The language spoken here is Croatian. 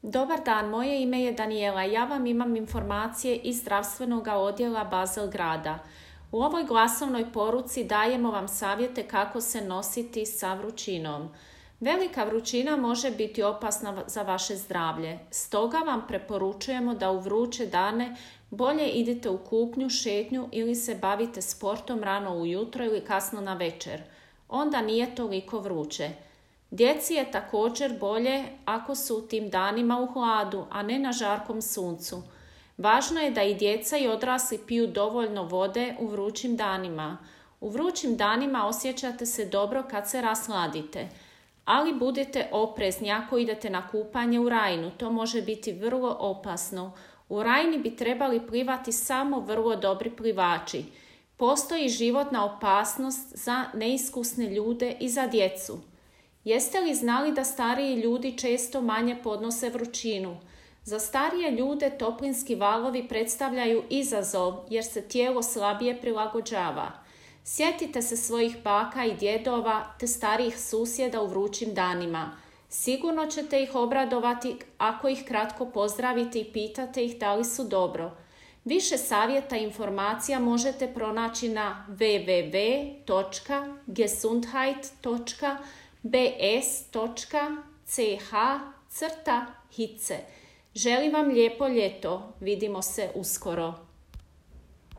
Dobar dan, moje ime je Daniela. Ja vam imam informacije iz zdravstvenog odjela Basel grada. U ovoj glasovnoj poruci dajemo vam savjete kako se nositi sa vrućinom. Velika vrućina može biti opasna za vaše zdravlje. Stoga vam preporučujemo da u vruće dane bolje idete u kupnju, šetnju ili se bavite sportom rano ujutro ili kasno na večer. Onda nije toliko vruće. Djeci je također bolje ako su u tim danima u hladu, a ne na žarkom suncu. Važno je da i djeca i odrasli piju dovoljno vode u vrućim danima. U vrućim danima osjećate se dobro kad se rasladite, ali budite oprezni ako idete na kupanje u Rajnu, to može biti vrlo opasno. U Rajni bi trebali plivati samo vrlo dobri plivači. Postoji životna opasnost za neiskusne ljude i za djecu. Jeste li znali da stariji ljudi često manje podnose vrućinu? Za starije ljude toplinski valovi predstavljaju izazov jer se tijelo slabije prilagođava. Sjetite se svojih baka i djedova te starijih susjeda u vrućim danima. Sigurno ćete ih obradovati ako ih kratko pozdravite i pitate ih da li su dobro. Više savjeta i informacija možete pronaći na www.gesundheit.bs.ch/hitze. Želim vam lijepo ljeto. Vidimo se uskoro.